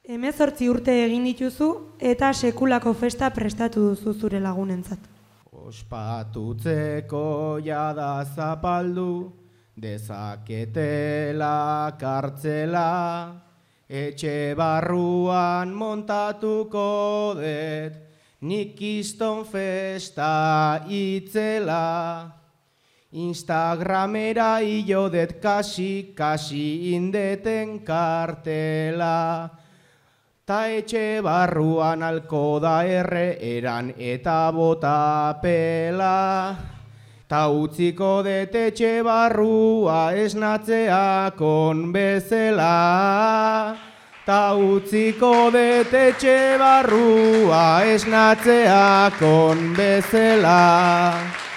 18 urte egin dituzu eta sekulako festa prestatu duzu zure lagunentzat. Ospatutzeko jada zapaldu, dezaketela kartzela, etxe barruan montatuko det, nik kiston festa itzela. Instagramera iodet kasi indeten kartela. Ta etxe barruan alko da eran eta bota pela. Ta utziko det etxe barrua esnatzeakon bezela. Ta utziko det etxe barrua esnatzeakon bezela.